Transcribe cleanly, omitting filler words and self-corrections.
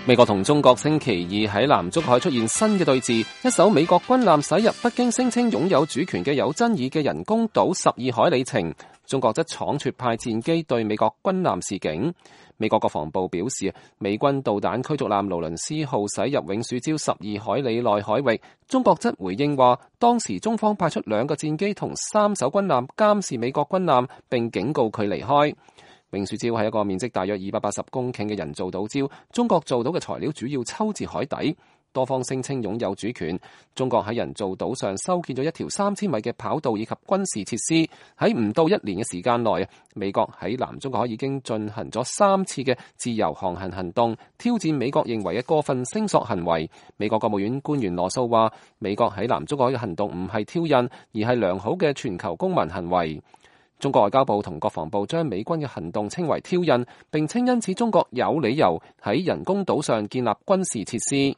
美國同中國星期二喺南中國海出現新嘅對峙，一艘美國軍艦駛入北京聲稱擁有主權嘅有爭議嘅人工島12海里程，中國則倉促派戰機對美國軍艦示警。美國國防部表示，美軍導彈驅逐艦勞倫斯號駛入永暑礁12海里內海域，中國則回應話，當時中方派出2個戰機同3艘軍艦監視美國軍艦，並警告佢離開。永暑礁係一個面積大約280公頃嘅人造島礁，中國做到嘅材料主要抽自海底，多方聲稱擁有主權。中國喺人造島上修建咗一條3000米嘅跑道以及軍事設施。喺唔到1年嘅時間內，美國喺南中國海已經進行咗3次嘅自由航行行動，挑戰美國認為嘅過分聲索行為。美國國務院官員羅素話，美國喺南中國海嘅行動唔係挑釁，而係良好嘅全球公民行為。中國外交部同國防部將美軍嘅行動稱為挑釁，並稱因此中國有理由喺人工島上建立軍事設施。